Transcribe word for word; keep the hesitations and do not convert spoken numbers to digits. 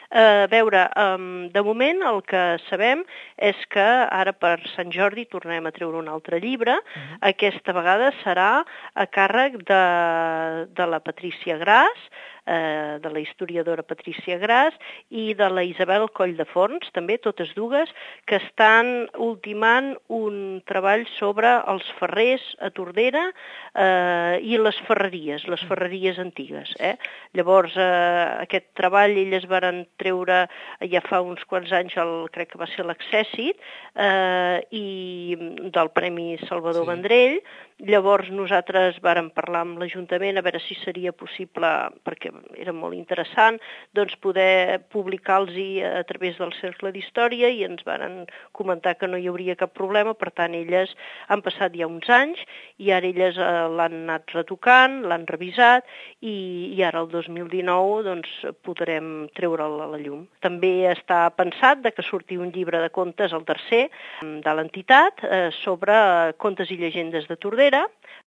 A veure, um, de moment el que sabem és que ara per Sant Jordi tornem a treure un altre llibre. Uh-huh. Aquesta vegada serà a càrrec de, de la Patrícia Gras, eh, de la historiadora Patrícia Gras i de la Isabel Colldeforns, també, totes dues, que estan ultimant un treball sobre els ferrers a Tordera eh, i les ferreries, les ferreries antigues. Eh? Llavors, eh, aquest treball elles varen treure ja fa uns quants anys, el, crec que va ser l'Accèssit, eh, i del Premi Salvador sí. Vendrell. Llavors nosaltres vàrem parlar amb l'Ajuntament a veure si seria possible, perquè era molt interessant, doncs poder publicar-los a través del Cercle d'Història i ens varen comentar que no hi hauria cap problema. Per tant, elles han passat ja uns anys i ara elles eh, l'han anat retocant, l'han revisat i, i ara el dos mil dinou doncs, podrem treure'l a la llum. També està pensat de que surti un llibre de contes, el tercer, de l'entitat, eh, sobre contes i llegendes de Tordera,